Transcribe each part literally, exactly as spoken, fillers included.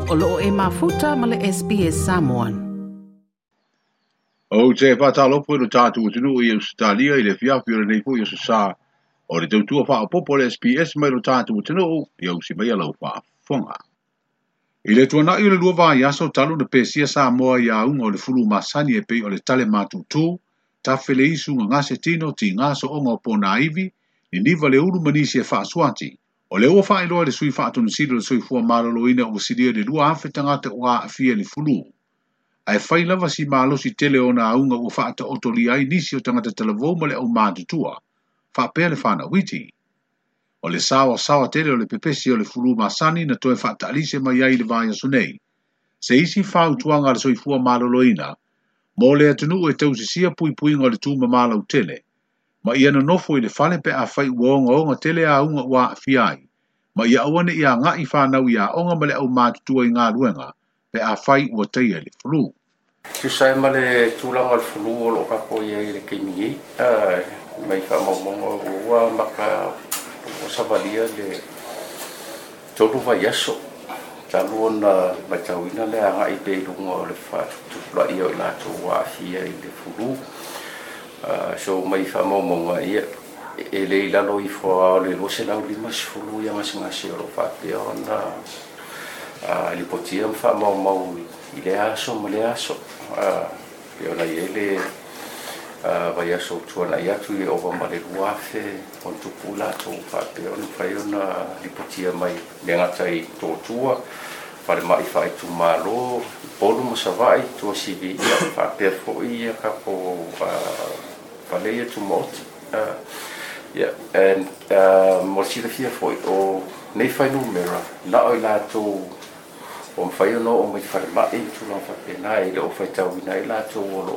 O loo e mafuta ma le S B S Samoan. O te whātalopo i lo tātou atunuu i Australia i le fiafi o le nei foi o sa o le tautua whaapopo le S B S mai lo tātou atunuu i ausi mai alau whaafonga. I le tuanai o le lua vai aso talu na pesia Samoa i aunga o le fulu masani e pei o le tale matutu, tawhele isu nga ngase tino ti ngaso onga o pōna iwi, ni niwa le ulu manisi e whaasuati. O le ua whaeloa le sui whaatonusilo le soifua maloloina o silia le lua afe tangata o a afia le fulu. Ae whai lava si malosi tele o na aunga ua whaata otoli ai nisi o tangata talavou ma le au mātutua, whaapea le whana witi. O le sawa sawa tele o le pepesi o le fulu masani na toe whaatalise mai ai le vai aso nei. Se isi whautuanga le soifua maloloina, mō le atunuu e tausisia puipuiga o le tūmamalau tele. Ma ia nonofo i le fale pe a whai uonga onga tele a unga ua aafia ai. Ma ia awane ia ngai whanau ia onga ma le au mātutua i ngā luenga pe a whai ua teia le fulu. Tusa e ma le tūlanga le fulu o lo kako ia i le keimi ei. Mai whaamaumonga ua maka o savalia le tolu vai aso. Talu ona matauina le anga i pe lunga o le whaatupula ia o i lātou ua aafia i le fulu. Uh, so mai whaamaumonga ia e le ilalo i fua o le lose lau lima sifulu ia ngasingasi o lo whaapea ona uh, lipotia mwhaamaumau i le aso ma le aso. Uh, pe ona i ele uh, vai aso tuana i atu i ova ma le luafe on tupu lātou whaapea ona whai ona lipotia mai le ngata i tōtua whare mai whai tu malo polu masawai tua sivi ia whaapea fo ia kapo uh, whale ia tu maoti. Uh, yeah, and uh, mo silafia foi o nei whai numera na oi lātou o mwhai ono o mai whare mai tūlanga whapena e le o whai tauina i lātou o lo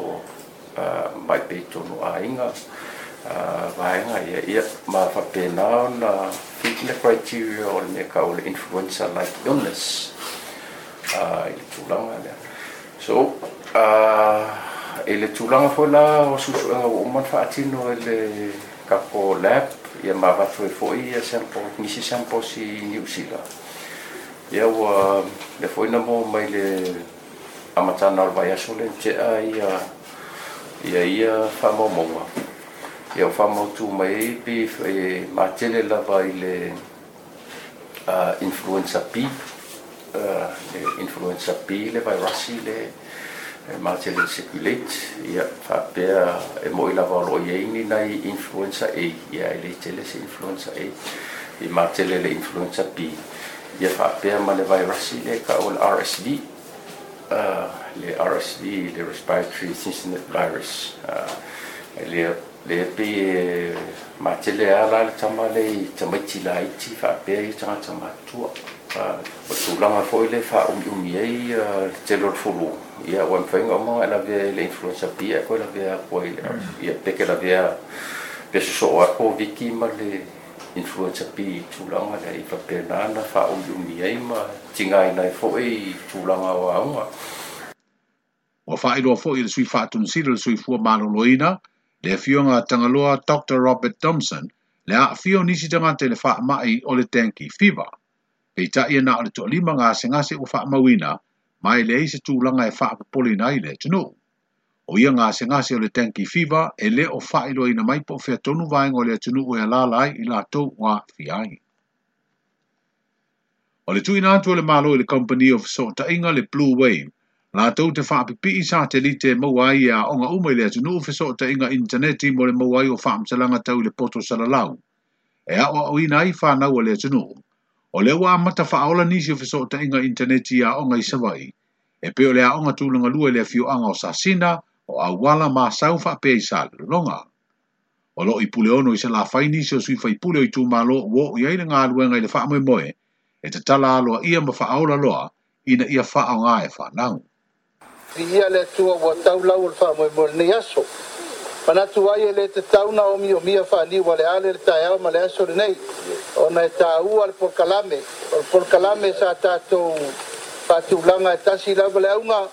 uh, mai pe tono a inga uh, vaenga ia ia ma whapena ona fit le criteria o le mea ka o le influenza like illness uh, i le tūlanga lea. So uh, e le tūlanga foi la o susuenga o uman whaatino e le kapo lab ia ma watu e foi ia sample, nisi samples i New Zealand. Ia ua le foi na mo mai le amatana o le vai aso le tea ia ia ia whaamaumonga. Ia o whaamautu mai e pe e matele lava i le uh, influenza B, uh, le influenza B le virasi le e matele circulate ia whaapea e moi lava o lo ia ini nai influenza A ia e le tele se influenza A i matele le influenza B ia whaapea ma le virasi le ka o le R S V uh, le R S V le respiratory syncytial virus uh, le le pe matele ala le tama le i tamaiti la iti whaapea i tangata matua uh, o tūlanga foi le whaaumiumi ai uh, le tele o le fulu ia ua mwhainga o mga lavea le influenza B a koe lavea koe le ia peke lavea pe soso ako viki ma le influenza B i tūlanga le i whapea nāna whaaumiumi ai ma tingai nai foi i tūlanga o aunga. Ua whaeloa foi le sui whaatunsilo le soifua maloloina le afioga Tangaloa Doctor Robert Thompson le aafia o nisi tangata i le whaamai o le dengue fever. Peitai na o le toalima ngasengase ua whaamauina mai le eise tūlanga e whaapopolina i le atunuu. O ia ngasengase o le dengue fever e le o whaeloaina mai po o tonu vaenga o le atunuu e alala ai i lātou ua aafia ai. O le tuina atu o le malo i le Company of Sotainga le Blue Wave, lātou te whaapipii satelite maua ai a onga uma i le atunuu fesootaiga interneti mo le maua ai o whaamtalanga tau i le poto salalau. E ao au ina ai whanau o le atunuu. O le ua amata whaaola nisi o fesootaiga interneti a onga i Savai. E peo le aonga tūlanga lua i le afioanga o Sasina, o Auala ma sau whaapea i Salelologa. O lo i pule ono i se la whai nisi o sui whaipule o i tūmalo o i ai le ngā luenga i le whaamoemoe, e te tala aloa ia ma whaaola loa ina ia whaonga e whanau. Ia le tua ua taulau o le whaamoemoe nei aso. Manatu ai e le te tauna o mio mia whaaniwa le ale le taeao ma le aso le nei. Ona e tāua le polkalame. O le polkalame sa tātou whaatulanga e tasi lava le aunga.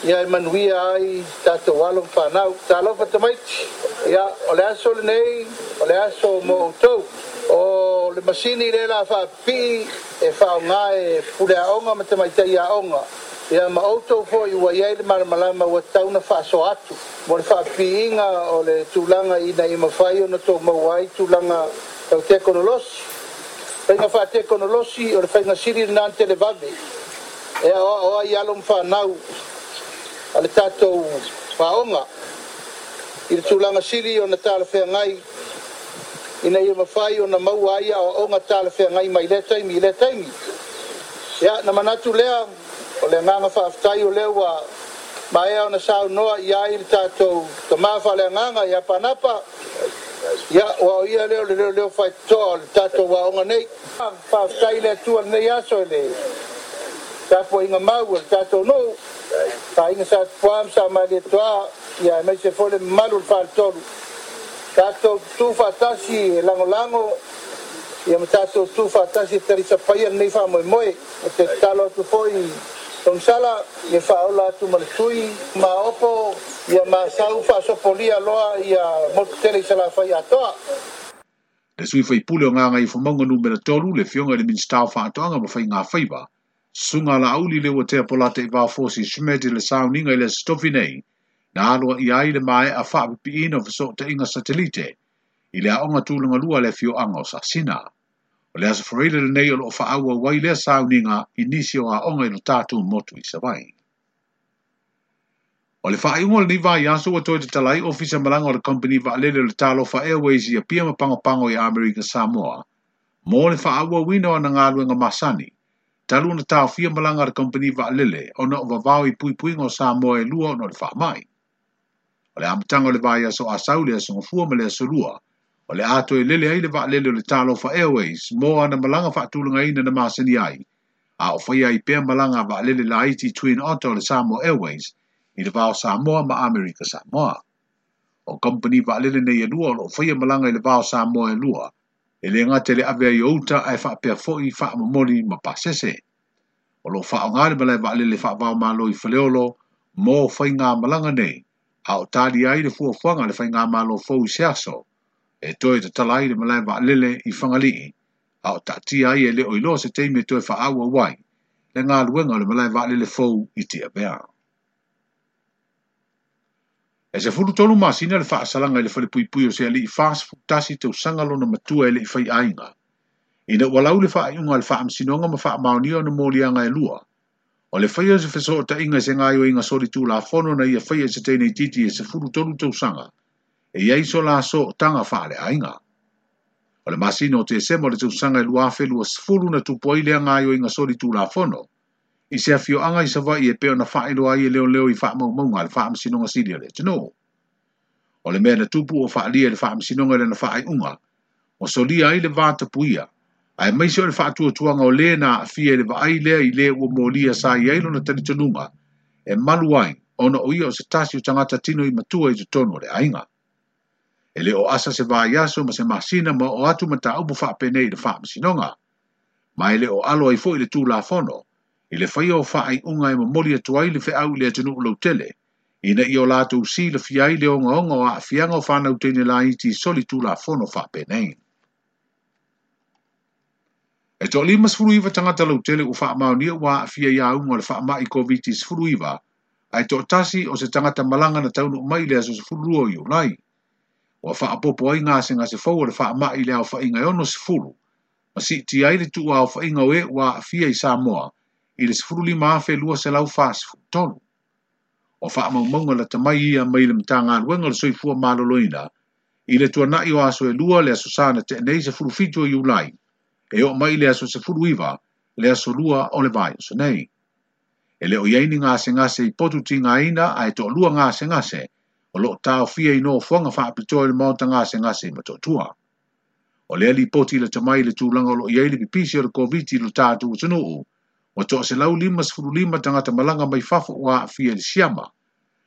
Ia e manuia ai tātou alo whanau. Tālofa tamaiti. Ia o le aso le nei, o le aso mo outou. O O le masini le la faapipii e faaaoga e pule aoga ma tamaitai aoga. Ia ma outou foi ua i ai le malamalama ua tatau ona faasoa atu mo le faapipiiga o le tulaga ina ia mafai ona tou maua ai tulaga tau tekonolosi. Faiga faatekonolosi o le faiga sili lena na televave e aoao ai alo ma fanau a le tatou aoga i le tulaga sili ona talafeagai ina ia mafai ona maua ai aoaoga talafeagai mai lea taimi i lea taimi. Ia na manatu lea o le agaga faafetai o lea ua maea ona saunoa i ai le tatou tamā faaleagaga ia Panapa. Ia ua o ia lea o le leoleo faitotoa o le tatou aoga nei. Faafetai i le Atua lenei aso i le tapuaiga mau a le tatou nuu, aiga Sa Tupua ma Sa Malietoa, ia aemaise foi le mamalu o le faletolu. Tatou tutu faatasi e lagolago ia ma tatou tutu faatasi e talisapaia lenei faamoemoe. E te tatalo atu foi Togisala ia faaola atu ma le tui maopo ia masau faasopolia loa ia motu tele i Salafai atoa. Le sui faipule o Gagaifomauga numera tolu, le afioga i le Minisita o Faatoaga ma Faiga Faiva, Susuga Laauli Leuatea Polata i Vaofosi Schmidt i le sauniga i le Aso Tofi nei, na aloa i ai le maea faapipiina o fesootaiga satelite i le aoga tulaga lua le afioaga o Sasina. O le Aso Faraile lenei o loo faaauau ai lea sauniga i nisi o aoga i lo tatou motu i Savaii. O le faaiuga o lenei vaiaso ua toe tatala ai ofisa malaga o le Company Vaalele o le Talofa Airways i Apia ma Pagopago i Amerika Samoa mo le faaauauina o ana galuega masani, talu ona taofia malaga a le Company Vaalele ona o vavao i puipuiga o Samoa e lua ona o le faamai. O le amataga o le vaiaso Asau le Aso Gafua ma le Aso Lua, o le a toe lele ai le vaalele o le Talofa Airways mo ana malaga faatulagaina na masani ai, a o faia ai pea malaga a vaalele laiti Twin Otter o le Samoa Airways i le vao Samoa ma Amerika Samoa. O company vaalele nei e lua o loo faia malaga i le vao Samoa e lua, e le gata i le ave ai o uta ae faapea foi faamomoli ma pasese. O loo faaaoga le malae vaalele faavaomalo i Faleolo mo faiga malaga nei, a o tali ai le fuafuaga a le faigamalo fou i se aso, e toe tatala ai le malae vaalele i Fagalii, a o taatia ai e le o iloa se taimi e toe faaauau ai le galuega o le malae vaalele fou i Tiavea. E sefulu tolu masina le faasalaga i le falepuipui o se alii fasefulu tasi tausaga lona matua e le i faiaiga, ina ua lau le faaiuga a le faamasinoga ma faamaonia ona moliaga e lua. O le faia o se fesootaiga i se gaoioiga solitulafono na ia faia i se teine itiiti e sefulu tolu tausaga, e i ai so la sootaga faaleaiga. O le masina o Tesema o le tausaga e lua afe luasefulu na tupu ai lea gaoioiga solitulafono, i se afioaga i Savaii e pei ona faailoa ai e leoleo i faamaumauga a le faamasinoga sili o le atunuu. O le mea na tupu ua faalia i le faamasinoga i lana faaiuga, ua solia ai le vatapuia, aemaise o le faatuatuaga o le na aafia i le vaai lea i le ua molia sa i ai lona talitonuga e malu ai ona o ia o se tasi o tagata tino i matua i totonu o le aiga. E le o asa se vaiaso ma se masina ma o atu mataupu faapenei i le faamasinoga, ma e le o alo ai foi le Tulafono i le faia o faaiuga e momoli atu ai le feau i le atunuu lautele, ina ia o latou silafia ai le ogaoga o aafiaga o fanau teine laiti i solitulafono faapenei. E toalima sefulu iva tagata lautele ua faamaonia ua aafia i auga o le faamai Koviti sefulu iva, ae toatasi o se tagata malaga na taunuu mai i le aso sefulu lua o Iulai. Ua faaopoopo ai gasegase fou o le faamai i le aofaiga e ono sefulu, ma siitia ai le tuuaofaiga o e ua aafia i Samoa i le sefulu lima afe lua selau fasefulu tolu. O faamaumauga lata mai ia mai le Matagaluega o le Soifua Maloloina i le tuanai o aso e lua le aso Sa na tea nei sefulu fitu o Iulai, e oo mai le aso sefulu iva le aso lua o le vaiaso nei. E le o i ai ni gasegase i potu tigaina ae toalua gasegase o loo taofia i nofoaga faapitoa i le maota gasegase i Motootua. O lea lipoti lata mai le tulaga o loo i ai le pipisi o le Koviti i lo tatou atunuu, ua toaselau lima sefulu lima tagata malaga mai fafo ua aafia i le siama,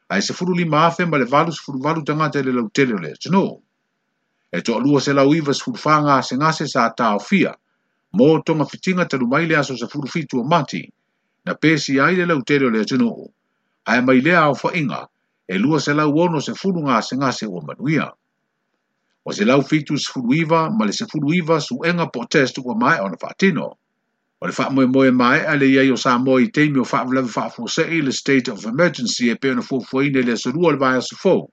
ae sefulu lima afe ma le valu sefulu valu tagata i le lautele o le atunuu. E toalua selau iva sefulu fa gasegase sa taofia mo togafitiga talu mai le aso sefulu fitu o Mati, na pesi ai le lautele o le atunuu, ae mai lea aofaiga e lua selau ono sefulu gasegase ua manuia. Ua selau fitu sefulu iva ma le sefulu iva suega po o test ua maea ona faatino. O le faamoemoe maea le i ai o Samoa i taimi o faalavelave faafuasei le state of emergency e pei ona fuafuaina i le aso lua o le vaiaso fou.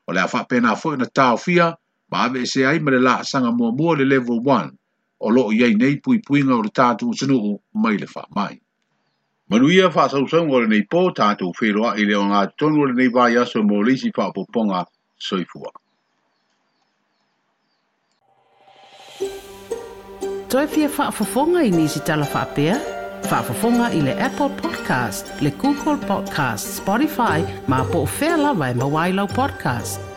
O le a faapena foi ona taofia ma aveesea ai ma le laasaga muamua le level one o loo i ai nei puipuiga o le tatou atunuu mai le faamai. Manuia faasausauga o lenei po, tatou feiloai i le ogatotonu o lenei vaiaso mo le isi faaopoopoga. Soifua. Toe fia faafofoga i nisi tala faapea? Faafofoga i le Apple Podcast, le Google Podcast, Spotify, ma po o fea lava e maua ai lau podcast.